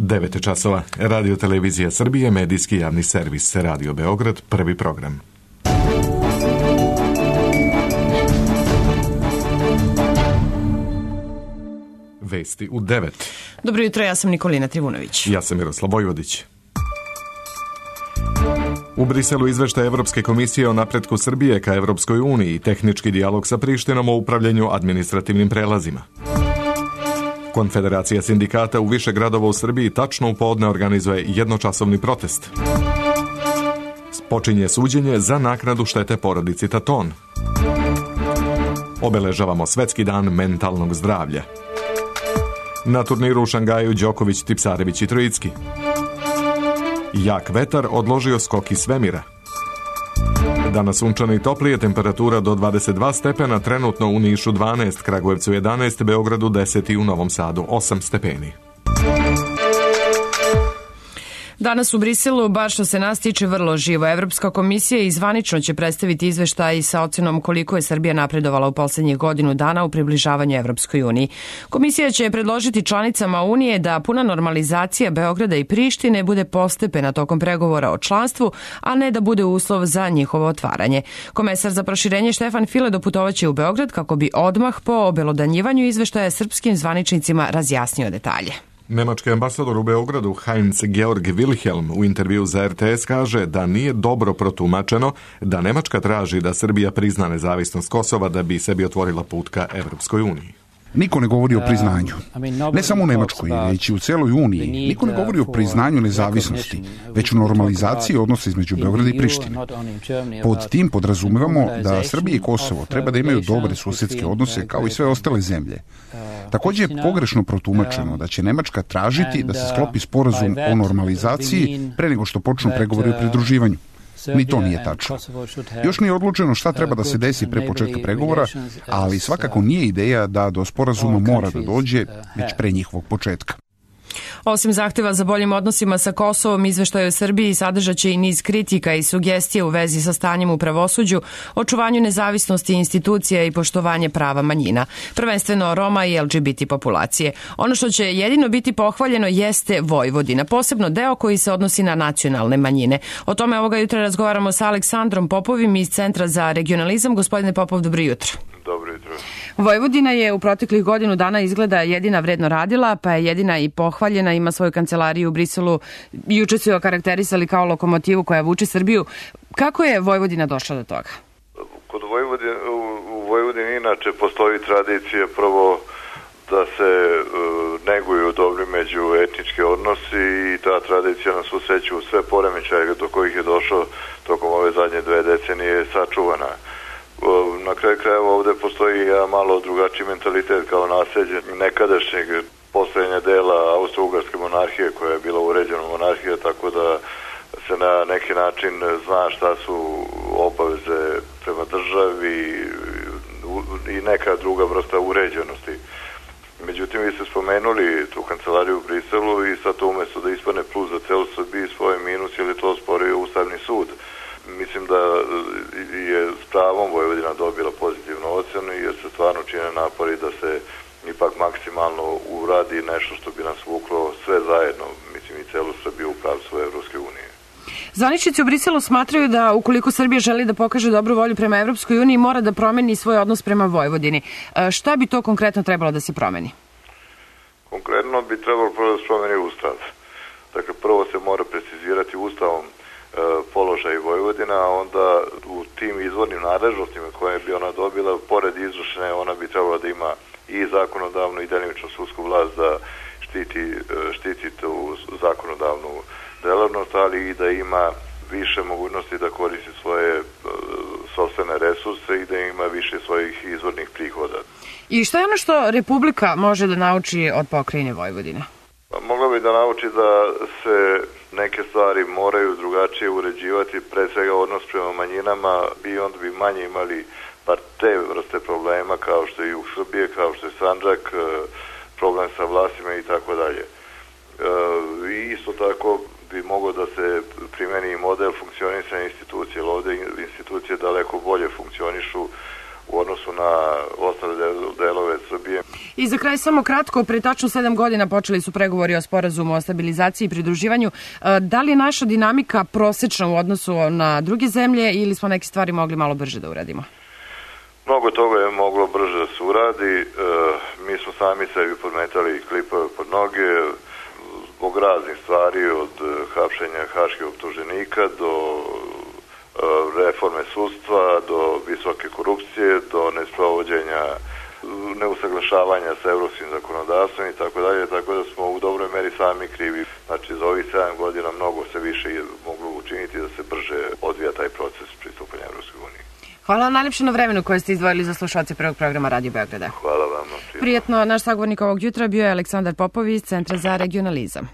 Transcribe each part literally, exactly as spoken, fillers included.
devet časova. Radio Televizija Srbije, medijski javni servis, Radio Beograd, prvi program. Vesti u devet. Dobro jutro, ja sam Nikolina Trivunović. Ja sam Miroslav Vojvodić. U Briselu izveštaj Evropske komisije o napretku Srbije ka Evropskoj uniji i tehnički dijalog sa Prištinom o upravljanju administrativnim prelazima. Konfederacija sindikata u više gradova u Srbiji tačno u podne organizuje jednočasovni protest. Počinje suđenje za naknadu štete porodici Taton. Obeležavamo Svetski dan mentalnog zdravlja. Na turniru u Šangaju Đoković, Tipsarević i Trojicki. Jak vetar odložio skok iz svemira. Danas sunčano i toplije, temperatura do dvadeset dva stepena, trenutno u Nišu dvanaest, Kragujevcu jedanaest, Beogradu deset i u Novom Sadu osam stepeni. Danas u Briselu, baš što se nas tiče, vrlo živo. Evropska komisija i zvanično će predstaviti izveštaj sa ocenom koliko je Srbija napredovala u poslednjih godinu dana u približavanju Evropskoj uniji. Komisija će predložiti članicama Unije da puna normalizacija Beograda i Prištine bude postepena tokom pregovora o članstvu, a ne da bude uslov za njihovo otvaranje. Komesar za proširenje Štefan File doputovaće u Beograd kako bi odmah po obelodanjivanju izveštaja srpskim zvaničnicima razjasnio detalje. Nemački ambasador u Beogradu Heinz Georg Wilhelm u intervju za R T S kaže da nije dobro protumačeno da Nemačka traži da Srbija prizna nezavisnost Kosova da bi sebi otvorila put ka Evropskoj uniji. Niko ne govori o priznanju. Ne samo u Nemačkoj, već i u celoj Uniji. Niko ne govori o priznanju nezavisnosti, već o normalizaciji odnosa između Beograda i Prištine. Pod tim podrazumevamo da Srbija i Kosovo treba da imaju dobre susedske odnose kao i sve ostale zemlje. Također je pogrešno protumačeno da će Nemačka tražiti da se sklopi sporazum o normalizaciji pre nego što počnu pregovori o pridruživanju. Ni to nije tačno. Još nije odlučeno šta treba da se desi pre početka pregovora, ali svakako nije ideja da do sporazuma mora da dođe već pre njihovog početka. Osim zahteva za boljim odnosima sa Kosovom, izveštaj o Srbiji sadržaće i niz kritika i sugestije u vezi sa stanjem u pravosuđu, očuvanju nezavisnosti institucija i poštovanje prava manjina, prvenstveno Roma i L G B T populacije. Ono što će jedino biti pohvaljeno jeste Vojvodina, posebno deo koji se odnosi na nacionalne manjine. O tome ovoga jutra razgovaramo sa Aleksandrom Popovim iz Centra za regionalizam. Gospodine Popov, dobro jutro. Dobro jutro. Vojvodina je u proteklih godinu dana izgleda jedina vredno radila, pa je jedina i pohvaljena, ima svoju kancelariju u Briselu. Juče su je okarakterisali kao lokomotivu koja vuče Srbiju. Kako je Vojvodina došla do toga? Kod Vojvodine, u, u Vojvodini inače postoji tradicija prvo da se uh, neguju dobri međuetnički odnosi i ta tradicija na svu sreću sve poremećaje do kojih je došlo tokom ove zadnje dve decenije sačuvana. Na kraju krajeva ovde postoji jedan malo drugačiji mentalitet kao nasljeđe nekadašnjeg postojanja dela Austro-Ugarske monarhije koja je bila uređena monarhija, tako da se na neki način zna šta su obaveze prema državi i neka druga vrsta uređenosti. Međutim, vi ste spomenuli tu kancelariju u Briselu i sad to umjesto da ispane plus za celu Srbiju svoje minus, jer je to sporio Ustavni sud. Mislim da je s pravom Vojvodina dobila pozitivnu ocenu jer se stvarno čine napori da se ipak maksimalno uradi nešto što bi nas vuklo sve zajedno, mislim i celu Srbiju u pravcu Evropske unije. Zvaničnici u Briselu smatraju da ukoliko Srbija želi da pokaže dobru volju prema Evropskoj uniji mora da promeni svoj odnos prema Vojvodini. Šta bi to konkretno trebalo da se promeni? Konkretno bi trebalo prvo da se promeni Ustav. Dakle, prvo se mora precizirati Ustavom položaj Vojvodina, a onda u tim izvornim nadležnostima koje bi ona dobila, pored izvršne, ona bi trebala da ima i zakonodavnu i delimično sudsku vlast da štiti, štiti tu zakonodavnu delavnost, ali i da ima više mogućnosti da koristi svoje uh, sopstvene resurse i da ima više svojih izvornih prihoda. I šta je ono što Republika može da nauči od pokrajine Vojvodine? Pa, mogla bi da nauči da se neke stvari moraju drugačije uređivati, pre svega odnos prema manjinama, i onda bi manje imali bar te vrste problema kao što je jug Srbije, kao što je Sandžak, problem sa vlastima i tako dalje. I isto tako bi moglo da se primeni model funkcionisanja institucije, ali ovde institucije daleko bolje funkcionišu u odnosu na ostale delove Srbije. I za kraj samo kratko, pre tačno sedam godina počeli su pregovori o sporazumu o stabilizaciji i pridruživanju. Da li je naša dinamika prosečna u odnosu na druge zemlje ili smo neke stvari mogli malo brže da uradimo? Mnogo toga je moglo brže da se uradi. E, mi smo sami sebi podmetali klipove pod noge zbog raznih stvari, od hapšenja haških optuženika do e, reforme sudstva, do visoke korupcije, do nesprovođenja, neusaglašavanja sa evropskim zakonodavstvom i tako dalje, tako da smo u dobroj meri sami krivi. Znači, za ovih sedam godina mnogo se više je moglo učiniti da se brže odvija taj proces pristupanja Evropskoj uniji. Hvala najlepše na vremenu koje ste izdvojili za slušalce prvog programa Radio Beograda. Hvala vam. Prijetno, naš sagovornik ovog jutra bio je Aleksandar Popović iz Centra za regionalizam.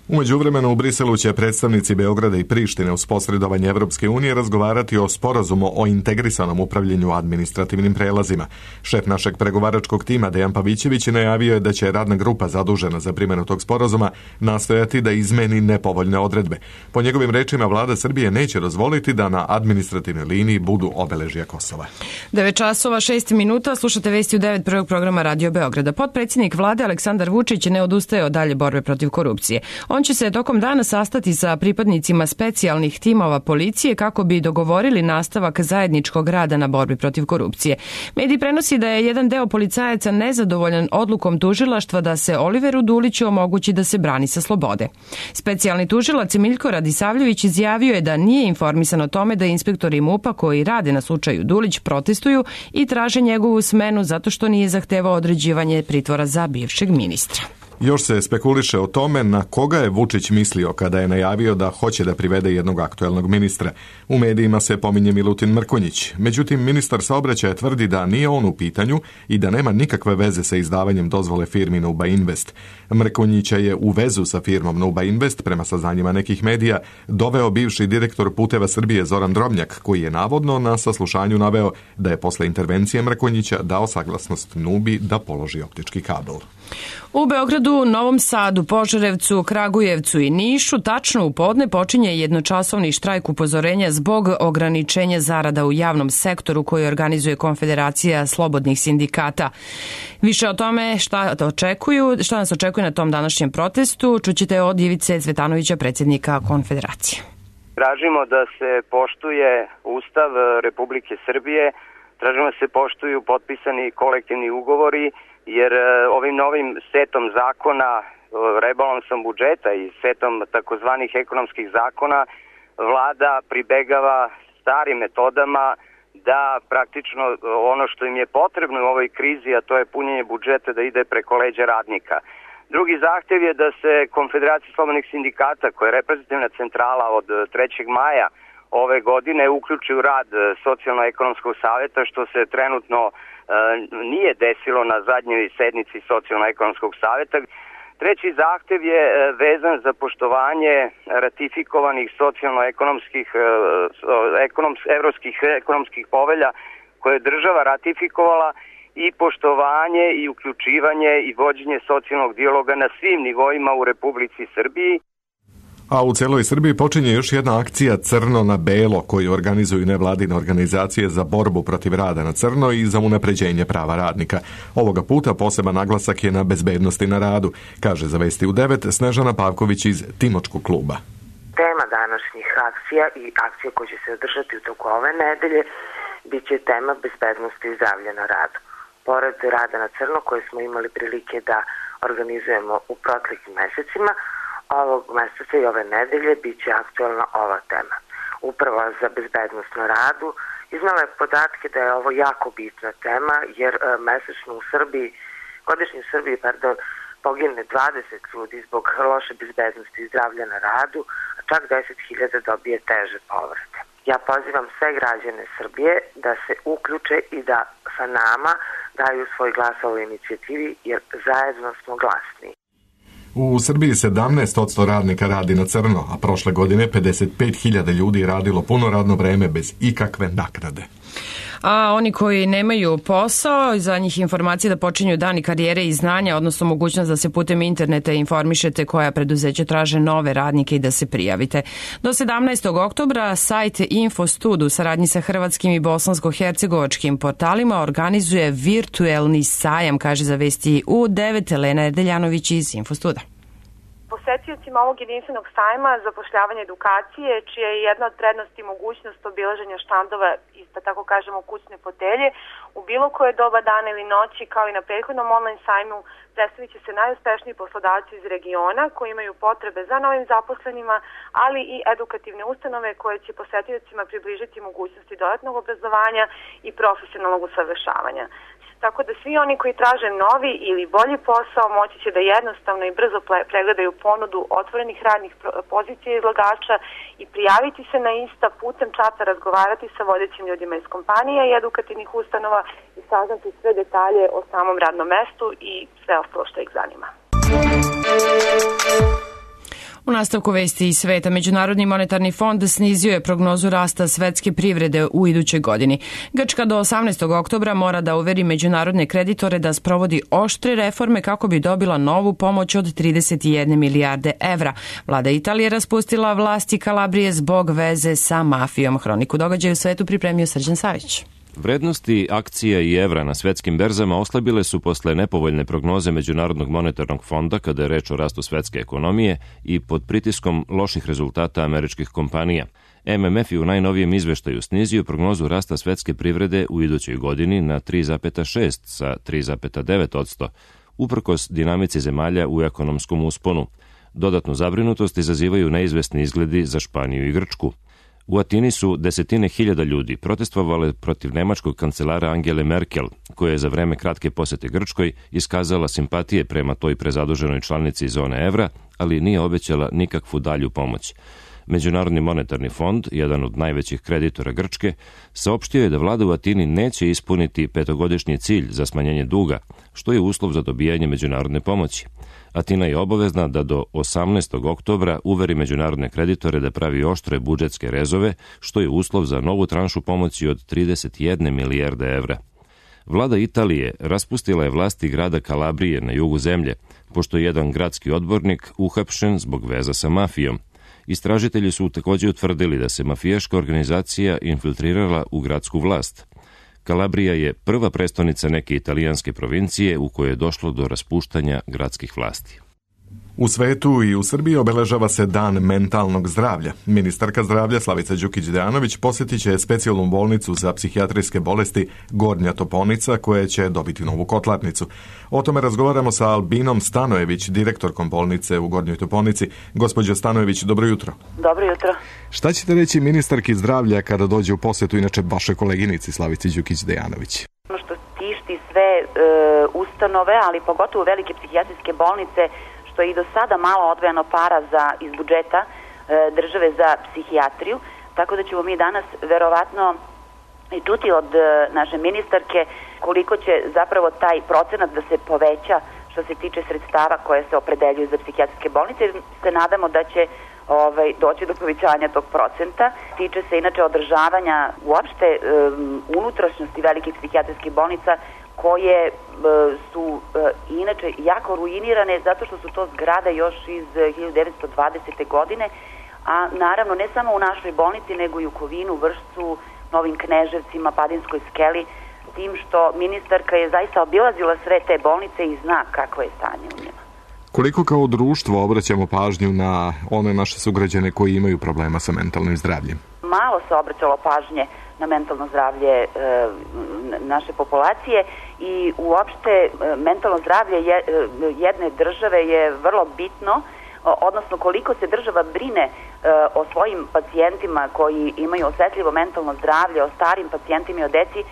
U međuvremenu u Briselu će predstavnici Beograda i Prištine uz posredovanje Evropske unije razgovarati o sporazumu o integrisanom upravljanju administrativnim prelazima. Šef našeg pregovaračkog tima Dejan Pavićević najavio je da će radna grupa zadužena za primjenu tog sporazuma nastojati da izmeni nepovoljne odredbe. Po njegovim rečima vlada Srbije neće dozvoliti da na administrativnoj liniji budu obeležja Kosova. devet časova šest minuta, slušate vesti u devet prvog programa Radio Beograda. Potpredsjednik vlade Aleksandar Vučić ne odustaje od dalje borbe protiv korupcije. On će se tokom dana sastati sa pripadnicima specijalnih timova policije kako bi dogovorili nastavak zajedničkog rada na borbi protiv korupcije. Medij prenosi da je jedan deo policajaca nezadovoljan odlukom tužilaštva da se Oliveru Duliću omogući da se brani sa slobode. Specijalni tužilac Miljko Radisavljević izjavio je da nije informisan o tome da inspektori MUP-a koji rade na slučaju Dulić protestuju i traže njegovu smenu zato što nije zahtevao određivanje pritvora za bivšeg ministra. Još se spekuliše o tome na koga je Vučić mislio kada je najavio da hoće da privede jednog aktuelnog ministra. U medijima se pominje Milutin Mrkonjić. Međutim, ministar saobraćaja tvrdi da nije on u pitanju i da nema nikakve veze sa izdavanjem dozvole firmi Nuba Invest. Mrkonjića je u vezu sa firmom Nuba Invest, prema saznanjima nekih medija, doveo bivši direktor Puteva Srbije Zoran Drobnjak, koji je navodno na saslušanju naveo da je posle intervencije Mrkonjića dao saglasnost Nubi da položi optički kabel. U Beogradu, Novom Sadu, Požarevcu, Kragujevcu i Nišu tačno u podne počinje jednočasovni štrajk upozorenja zbog ograničenja zarada u javnom sektoru koji organizuje Konfederacija slobodnih sindikata. Više o tome šta očekuju, šta nas očekuje na tom današnjem protestu čućete od Ivice Cvetanovića, predsjednika Konfederacije. Tražimo da se poštuje Ustav Republike Srbije, tražimo da se poštuju potpisani kolektivni ugovori, jer ovim novim setom zakona, rebalansom budžeta i setom takozvanih ekonomskih zakona, vlada pribegava starim metodama da praktično ono što im je potrebno u ovoj krizi, a to je punjenje budžeta, da ide preko leđa radnika. Drugi zahtev je da se Konfederacija slobodnih sindikata, koja je reprezentativna centrala od trećeg maja ove godine, uključi u rad Socijalno-ekonomskog savjeta, što se trenutno nije desilo na zadnjoj sednici Socijalno-ekonomskog savjeta. Treći zahtev je vezan za poštovanje ratifikovanih socijalno-ekonomskih ekonoms, evropskih ekonomskih povelja koje je država ratifikovala i poštovanje i uključivanje i vođenje socijalnog dijaloga na svim nivoima u Republici Srbiji. A u celoj Srbiji počinje još jedna akcija Crno na belo koju organizuju nevladine organizacije za borbu protiv rada na crno i za unapređenje prava radnika. Ovoga puta poseban naglasak je na bezbednosti na radu, kaže za Vesti u devet Snežana Pavković iz Timočkog kluba. Tema današnjih akcija i akcija koje će se održati u toku ove nedelje bit će tema bezbednosti i zdravlja na radu. Pored rada na crno koje smo imali prilike da organizujemo u proteklim mesecima, ovog meseca i ove nedelje bit će aktualna ova tema. Uprava za bezbednost na radu iznala je podatke da je ovo jako bitna tema, jer e, mesečno u Srbiji, godišnje u Srbiji, pardon, pogine dvadeset ljudi zbog loše bezbednosti i zdravlja na radu, a čak deset hiljada dobije teže povrede. Ja pozivam sve građane Srbije da se uključe i da sa nama daju svoj glas ovoj inicijativi, jer zajedno smo glasni. U Srbiji sedamnaest posto radnika radi na crno, a prošle godine pedeset pet hiljada ljudi je radilo puno radno vreme bez ikakve naknade. A oni koji nemaju posao, za njih informacije da počinju dani karijere i znanja, odnosno mogućnost da se putem interneta informišete koja preduzeća traže nove radnike i da se prijavite. Do sedamnaestog oktobra sajt Infostud u saradnji sa hrvatskim i bosansko-hercegovačkim portalima organizuje virtuelni sajam, kaže za Vesti U devet Elena Erdeljanović iz Infostuda. Posetiocima ovog jedinstvenog sajma zapošljavanje edukacije, čija je jedna od prednosti mogućnost obilaženja štandova iz, da tako kažemo, kućne fotelje, u bilo koje doba dana ili noći, kao i na prethodnom online sajmu, predstavit će se najuspešniji poslodavci iz regiona koji imaju potrebe za novim zaposlenima, ali i edukativne ustanove koje će posetiocima približiti mogućnosti dodatnog obrazovanja i profesionalnog usavršavanja. Tako da svi oni koji traže novi ili bolji posao moći će da jednostavno i brzo pregledaju ponudu otvorenih radnih pozicija izlagača i prijaviti se na ista, putem čata razgovarati sa vodećim ljudima iz kompanija i edukativnih ustanova i saznati sve detalje o samom radnom mestu i sve ostalo što ih zanima. U nastavku vesti iz sveta, Međunarodni monetarni fond snizio je prognozu rasta svetske privrede u idućoj godini. Grčka do osamnaestog oktobra mora da uveri međunarodne kreditore da sprovodi oštre reforme kako bi dobila novu pomoć od trideset jedne milijarde evra. Vlada Italije raspustila vlasti Kalabrije zbog veze sa mafijom. Hroniku događaja u svetu pripremio Srđan Savić. Vrednosti akcija i evra na svetskim berzama oslabile su posle nepovoljne prognoze Međunarodnog monetarnog fonda kada je reč o rastu svetske ekonomije i pod pritiskom loših rezultata američkih kompanija. M M F je u najnovijem izveštaju snizio prognozu rasta svetske privrede u idućoj godini na tri zarez šest sa tri zarez devet odsto, uprkos dinamici zemalja u ekonomskom usponu. Dodatnu zabrinutost izazivaju neizvesni izgledi za Španiju i Grčku. U Atini su desetine hiljada ljudi protestovale protiv nemačkog kancelara Angele Merkel, koja je za vreme kratke posete Grčkoj iskazala simpatije prema toj prezaduženoj članici zone evra, ali nije obećala nikakvu dalju pomoć. Međunarodni monetarni fond, jedan od najvećih kreditora Grčke, saopštio je da vlada u Atini neće ispuniti petogodišnji cilj za smanjenje duga, što je uslov za dobijanje međunarodne pomoći. Atina je obavezna da do osamnaestog oktobra uveri međunarodne kreditore da pravi oštre budžetske rezove, što je uslov za novu tranšu pomoći od trideset jedne milijarde evra. Vlada Italije raspustila je vlasti grada Kalabrije na jugu zemlje, pošto je jedan gradski odbornik uhapšen zbog veza sa mafijom. Istražitelji su također utvrdili da se mafijaška organizacija infiltrirala u gradsku vlast. Kalabrija je prva prestonica neke italijanske provincije u kojoj je došlo do raspuštanja gradskih vlasti. U svetu i u Srbiji obeležava se Dan mentalnog zdravlja. Ministarka zdravlja Slavica Đukić-Dejanović posjetit će specijalnu bolnicu za psihijatrijske bolesti Gornja Toponica, koja će dobiti novu kotlarnicu. O tome razgovaramo sa Albinom Stanojević, direktorkom bolnice u Gornjoj Toponici. Gospođo Stanojević, dobro jutro. Dobro jutro. Šta ćete reći ministarki zdravlja kada dođe u posjetu inače vaše koleginici Slavici Đukić-Dejanović? Ono što tišti sve e, ustanove, ali pogotovo velike psihijatrijske bolnice, što je i do sada malo odvojeno para za, iz budžeta e, države za psihijatriju, tako da ćemo mi danas verovatno i čuti od e, naše ministarke koliko će zapravo taj procenat da se poveća što se tiče sredstava koje se opredeljuju za psihijatrijske bolnice. Se nadamo da će ovaj, doći do povećanja tog procenta. Tiče se inače održavanja uopšte e, unutrašnjosti velikih psihijatrijskih bolnica, koje e, su e, inače jako ruinirane zato što su to zgrade još iz hiljadu devetsto dvadesete. godine, a naravno ne samo u našoj bolnici nego i u Kovinu, Vršcu, Novim Kneževcima, Padinskoj skeli, tim što ministarka je zaista obilazila sve te bolnice i zna kakvo je stanje u njima. Koliko kao društvo obraćamo pažnju na one naše sugrađane koji imaju problema sa mentalnim zdravljem? Malo se obraćalo pažnje na mentalno zdravlje e, naše populacije i uopšte e, mentalno zdravlje je, e, jedne države je vrlo bitno, odnosno koliko se država brine e, o svojim pacijentima koji imaju osetljivo mentalno zdravlje, o starim pacijentima i o deci, e,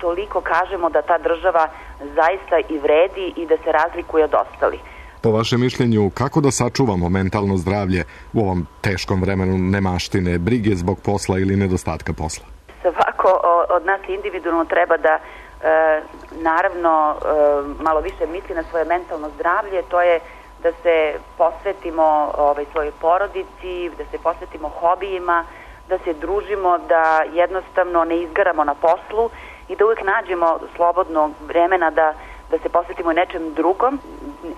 toliko kažemo da ta država zaista i vredi i da se razlikuje od ostalih. Po vašem mišljenju, kako da sačuvamo mentalno zdravlje u ovom teškom vremenu nemaštine, brige zbog posla ili nedostatka posla? Svako od nas individualno treba da e, naravno e, malo više misli na svoje mentalno zdravlje, to je da se posvetimo ovaj, svojoj porodici, da se posvetimo hobijima, da se družimo, da jednostavno ne izgaramo na poslu i da uvijek nađemo slobodno vremena da, da se posvetimo nečem drugom.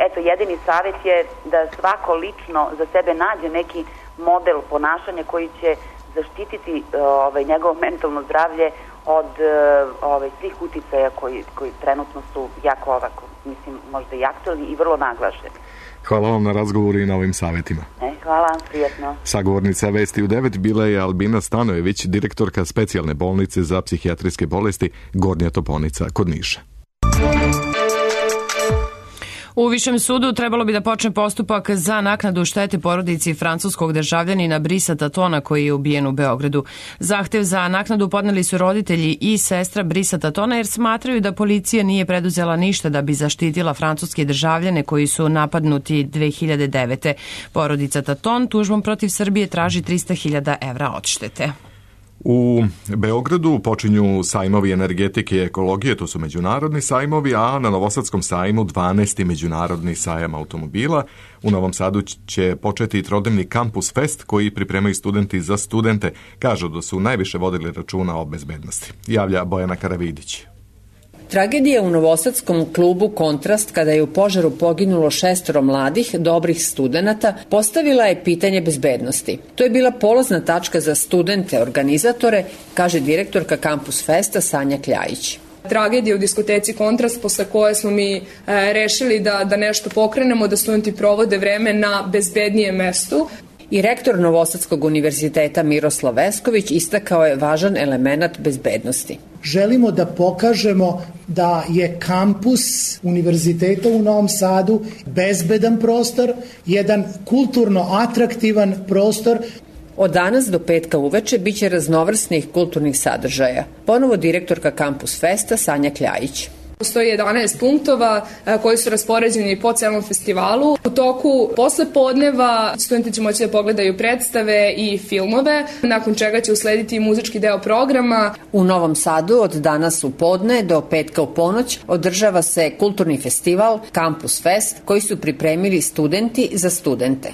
Eto, jedini savjet je da svako lično za sebe nađe neki model ponašanja koji će zaštititi ovaj, njegovo mentalno zdravlje od ovaj, svih uticaja koji, koji trenutno su jako ovako, mislim, možda i aktualni i vrlo naglašeni. Hvala vam na razgovoru i na ovim savjetima. E, hvala, prijetno. Sagovornica Vesti u devet bila je Albina Stanojević, direktorka specijalne bolnice za psihijatrijske bolesti Gornja Toponica kod Niša. U Višem sudu trebalo bi da počne postupak za naknadu štete porodici francuskog državljanina Brisa Tatona koji je ubijen u Beogradu. Zahtev za naknadu podneli su roditelji i sestra Brisa Tatona jer smatraju da policija nije preduzela ništa da bi zaštitila francuske državljane koji su napadnuti dve hiljade devete. Porodica Taton tužbom protiv Srbije traži trista hiljada evra odštete. U Beogradu počinju sajmovi energetike i ekologije, to su međunarodni sajmovi, a na Novosadskom sajmu dvanaesti međunarodni sajam automobila. U Novom Sadu će početi i trodnevni Campus Fest koji pripremaju studenti za studente. Kažu da su najviše vodili računa o bezbednosti. Javlja Bojana Karavidić. Tragedija u novosadskom klubu Kontrast kada je u požaru poginulo šestoro mladih, dobrih studenata, postavila je pitanje bezbednosti. To je bila polazna tačka za studente, organizatore, kaže direktorka Campus Festa Sanja Kljajić. Tragedija u diskoteci Kontrast posle koje smo mi e, rešili da, da nešto pokrenemo, da studenti provode vreme na bezbednijem mestu. I rektor Novosadskog univerziteta Miroslav Vesković istakao je važan element bezbednosti. Želimo da pokažemo da je kampus univerziteta u Novom Sadu bezbedan prostor, jedan kulturno atraktivan prostor. Od danas do petka uveče biće raznovrsnih kulturnih sadržaja. Ponovo direktorka Campus Festa Sanja Kljajić. Postoji jedanaest punktova koji su raspoređeni po celom festivalu. U toku posle podneva studenti će moći da pogledaju predstave i filmove, nakon čega će uslediti muzički deo programa. U Novom Sadu od danas u podne do petka u ponoć održava se kulturni festival Campus Fest koji su pripremili studenti za studente.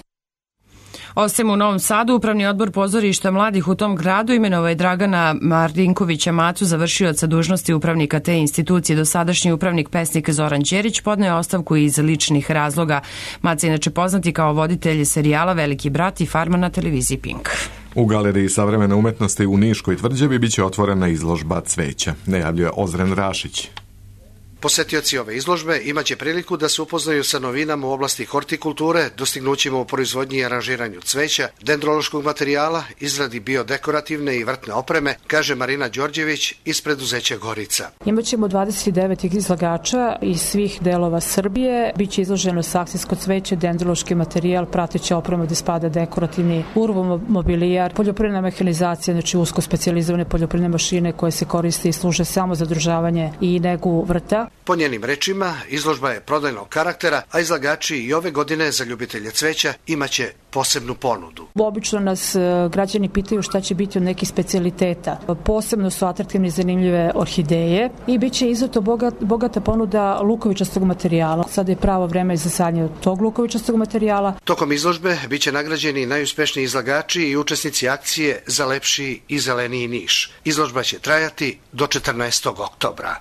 Ostajemo u Novom Sadu. Upravni odbor pozorišta mladih u tom gradu imenovao je Dragana Marinkovića Macu, završioca dužnosti upravnika te institucije. Dosadašnji upravnik pesnik Zoran Đerić podneo je ostavku iz ličnih razloga. Maca je inače poznati kao voditelj serijala Veliki brat i Farma na televiziji Pink. U Galeriji savremene umetnosti u Niškoj tvrđavi biće otvorena izložba cveća, najavljuje Ozren Rašić. Posetioci ove izložbe imaće priliku da se upoznaju sa novinama u oblasti hortikulture, dostignućima u proizvodnji i aranžiranju cveća, dendrološkog materijala, izradi biodekorativne i vrtne opreme, kaže Marina Đorđević iz preduzeća Gorica. Imaćemo dvadeset devet izlagača iz svih delova Srbije. Biće izloženo saksijsko cveće, dendrološki materijal, prateća oprema gde spada dekorativni urbomobilijar, poljoprivredna mehanizacija, znači usko specijalizovane poljoprivredne mašine koje se koriste i služe samo za održavanje i negu vrta. Po njenim rečima, izložba je prodajnog karaktera, a izlagači i ove godine za ljubitelje cveća imaće posebnu ponudu. Obično nas građani pitaju šta će biti od nekih specijaliteta. Posebno su atraktivne i zanimljive orhideje i bit će izuzetno bogat, bogata ponuda lukovičastog materijala. Sada je pravo vreme za sadnje tog lukovičastog materijala. Tokom izložbe biće nagrađeni najuspešniji izlagači i učesnici akcije za lepši i zeleniji Niš. Izložba će trajati do četrnaestog oktobra.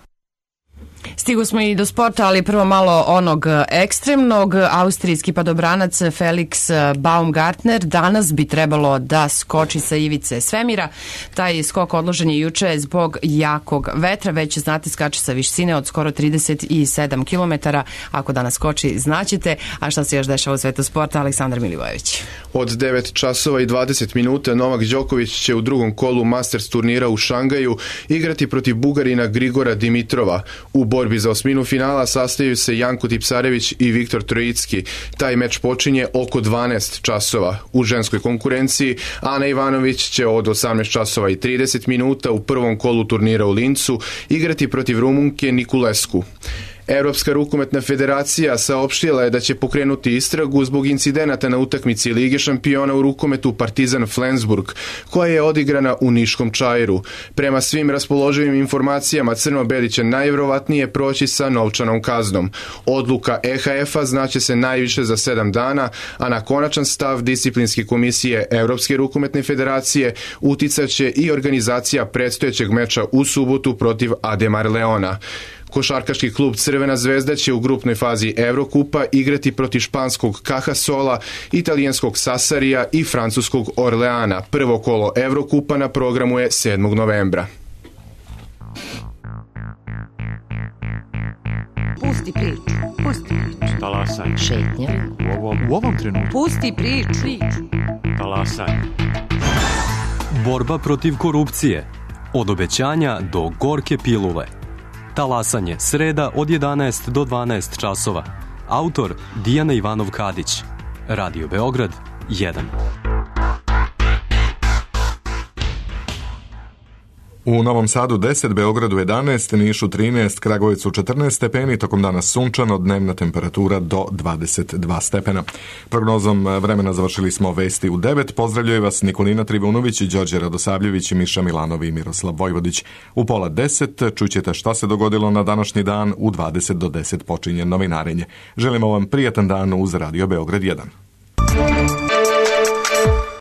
Stigu smo i do sporta, ali prvo malo onog ekstremnog. Austrijski padobranac Felix Baumgartner danas bi trebalo da skoči sa ivice svemira. Taj skok odložen je juče zbog jakog vetra. Već znate, skače sa visine od skoro trideset sedam kilometara. Ako danas skoči, znaćete. A šta se još dešava u svetu sporta? Aleksandar Milivojević. Od devet časova i dvadeset minuta Novak Đoković će u drugom kolu Masters turnira u Šangaju igrati protiv Bugarina Grigora Dimitrova. U borbi za osminu finala sastaju se Janko Tipsarević i Viktor Trojicki. Taj meč počinje oko dvanaest časova. U ženskoj konkurenciji Ana Ivanović će od osamnaest časova i trideset minuta u prvom kolu turnira u Lincu igrati protiv Rumunke Nikulesku. Evropska rukometna federacija saopštila je da će pokrenuti istragu zbog incidenata na utakmici Lige šampiona u rukometu Partizan Flensburg, koja je odigrana u Niškom Čairu. Prema svim raspoloživim informacijama, Crno-Beli će najvjerovatnije proći sa novčanom kaznom. Odluka E H F-a znaće se najviše za sedam dana, a na konačan stav disciplinske komisije Evropske rukometne federacije uticat će i organizacija predstojećeg meča u subotu protiv Ademar Leona. Košarkaški klub Crvena zvezda će u grupnoj fazi Evrokupa igrati protiv španskog Cajasola, italijanskog Sassarija i francuskog Orleana. Prvo kolo Evrokupa na programu je sedmog novembra. Pusti priču, pusti priču. Talasaj. Šetnja. U ovom, u ovom trenutku. Pusti priču. Talasaj. Borba protiv korupcije. Od obećanja do gorke pilule. Talasanje, sreda od jedanaest do dvanaest časova. Autor Dijana Ivanov-Kadić. Radio Beograd jedan. U Novom Sadu deset, Beogradu jedanaest, Nišu trinaest, Kragujevcu četrnaest stepeni, tokom dana sunčano, dnevna temperatura do dvadeset dva stepena. Prognozom vremena završili smo vesti u devet. Pozdravljaju vas Nikolina Trivunović, Đorđe Radosavljević, Miša Milanov i Miroslav Vojvodić. U pola deset čućete šta se dogodilo na današnji dan, u dvadeset do deset počinje novinarenje. Želimo vam prijatan dan uz Radio Beograd jedan.